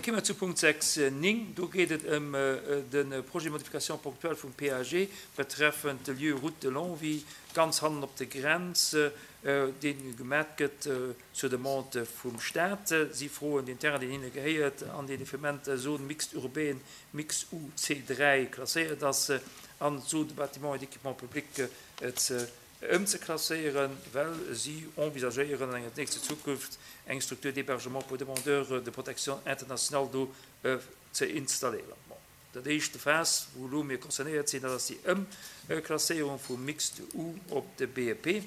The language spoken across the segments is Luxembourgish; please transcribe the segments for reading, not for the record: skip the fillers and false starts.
kéime mer zu Punkt 6, 9. Do geet et ëm de Projet de modification ponctuelle vum PAG betreffend de Lieu Route de Longwy, ganz hannen op der Grenz, dee gemat gëtt zur Demande vum Stat. Si froen deen Terrain, deen hinne gehéiert an deen effement Zone mixte urbaine mix UC3 klasséiert ass, an d'Zone de bâtiments et d'équipements publics ze ëmzeklasséieren, well si envisagéieren an enger nächster Zukunft eng Structure d'hébergement pour demandeurs de protection internationale do ze installéieren. Bon, dat éischte Phas, wou elo mir concernéiert sinn, dat ass déi Ëmklasséierung vum Mixte U op de BEP.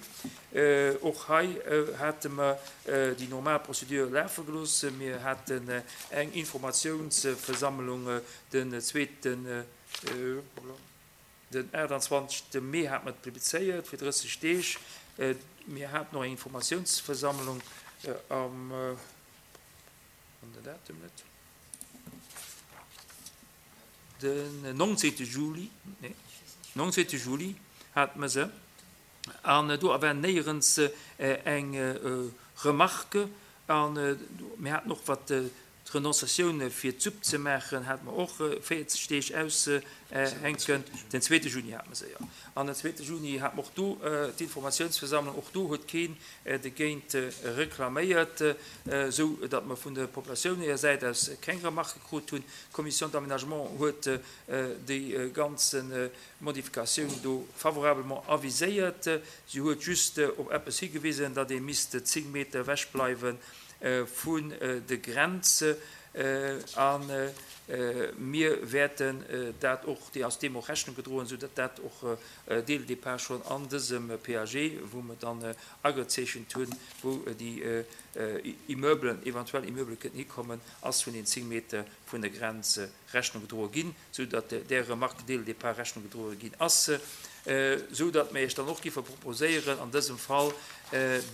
Och hei hate mer déi normal Procédure lafe gelooss. Mir haten eng Informatiounsversammlung den zweeten, Den 28 Mee hate mer et publizéiert fir 30 Deeg. Mir haten och eng Informatiounsversammlung am, wann den Datum net, den 19 Juli, nee, 19 Juli hate mer se. An do war néierens eng Remarque. A mir haten och, wat d'Renonciatioun fir d'Supp ze maachen, hate mer och 40 Deeg aushänken. Den zweete Juni hate mer se, jo. An den zweete Juni hate mer och do d'Informatiounsversammlung. Och do huet keen dogéint reklaméiert, esou datt mer vun der Populatioun hir Säit aus keng Remarque krut hunn. D'Commission d'aménagement huet déi ganze Modifikatioun do favorablement aviséiert. Si huet just op eppes higewisen, datt ee misst 10 Meter ewech bleiwe vun de Grenz. A mir wäerten dat och, déi ass deem och Rechnung gedroen, esou datt dat och dès le départ schonn an dësem PAG, wou mer dann agezeechent hunn, wou déi Immeublen, eventuell Immeubele kënnten hikommen, ass vun den 10 Meter vun der Grenz Rechnung gedroe ginn, sou datt där Remarque dès le départ Rechnung gedroe ginn ass, sou datt mir Iech dann och giffe proposéieren, an dësem Fall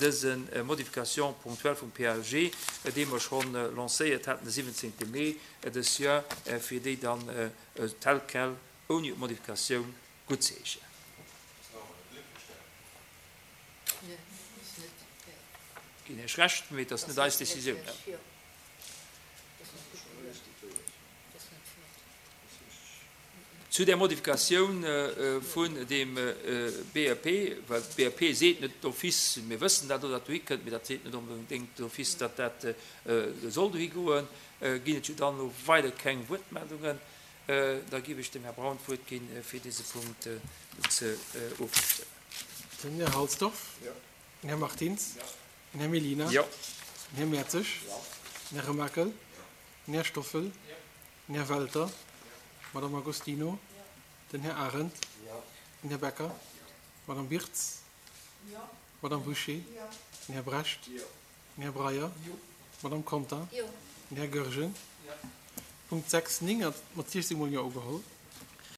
dëse Modification ponctuelle vum PAG, dee mer schonn lancéiert haten de 17 Mee dës Joer, fir déi dann tel quel ouni Modifikatioun guttzeheeschen. Ginn Iech Recht, mee et ass net eis Décisioun. Zu där Modifikatioun vun deem BEP, well d'BEP seet net d'office, mir wëssen dat elo, datt dohi kënnt, mee dat seet net onbedéngt d'office, datt dat soll dohi goen, ginn et jo dann elo weider keng Wuertmeldungen. Da géif ech dem Här Braun d'Wuert ginn, fir dese Punkt ze ofzestëmmen. Den Här Halsdorf. Den Här Martins. Den Här Mellina. Den Här Mertzig. Den Här Remakel. Den Här Stoffel. Den Här Welter. D'Madame Agostino. Den Här Arendt. Den Här Becker. D'Madame Birtz. D'Madame Bouché. Den Här Brecht. Den Här Breyer. D'Madame Conter. Den Här Goergen. Punkt 6, 9 ass mat 16 mol Jo ugeholl.